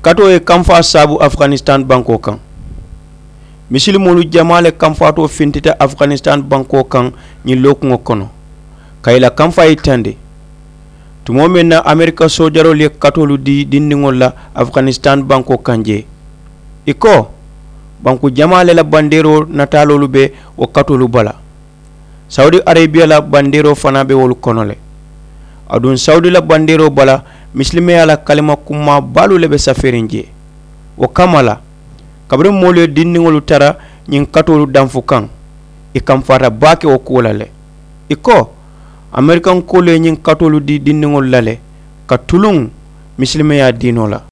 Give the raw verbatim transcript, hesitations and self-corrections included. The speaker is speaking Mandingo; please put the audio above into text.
Katoo ye kamfaa saabu afuganisitaani bankoo kaŋ. Misilimoolu jamaa le kamfaatoo fintita afuganisitaani bankoo kaŋ ñiŋ lookuŋo kono ka ì la kamfaa yitandi. Tumoo meŋ na amerika soojaroolu ye katoolu dii dindiŋolu la afuganisitaani bankoo kaŋ jee, ì ko banku jamaa le la bandeeroo nataaloolu be wo katoolu bala. Sawudi areebiya la bandeeroo fanaa be wolu kono le. Aduŋ sawudi la bandeeroo bala misilimeyaa la kalima kummaa baalu le be safeeriŋ jee. Wo kamma la, kabiriŋ moolu ye dindiŋolu tara ñiŋ katoolu danfu kaŋ, ì kamfaata baake wo kuwo la le. Ì ko amerikankoolu ye ñiŋ katoolu dii dindiŋolu la le ka tuluŋ misilimeyaa diinoo la.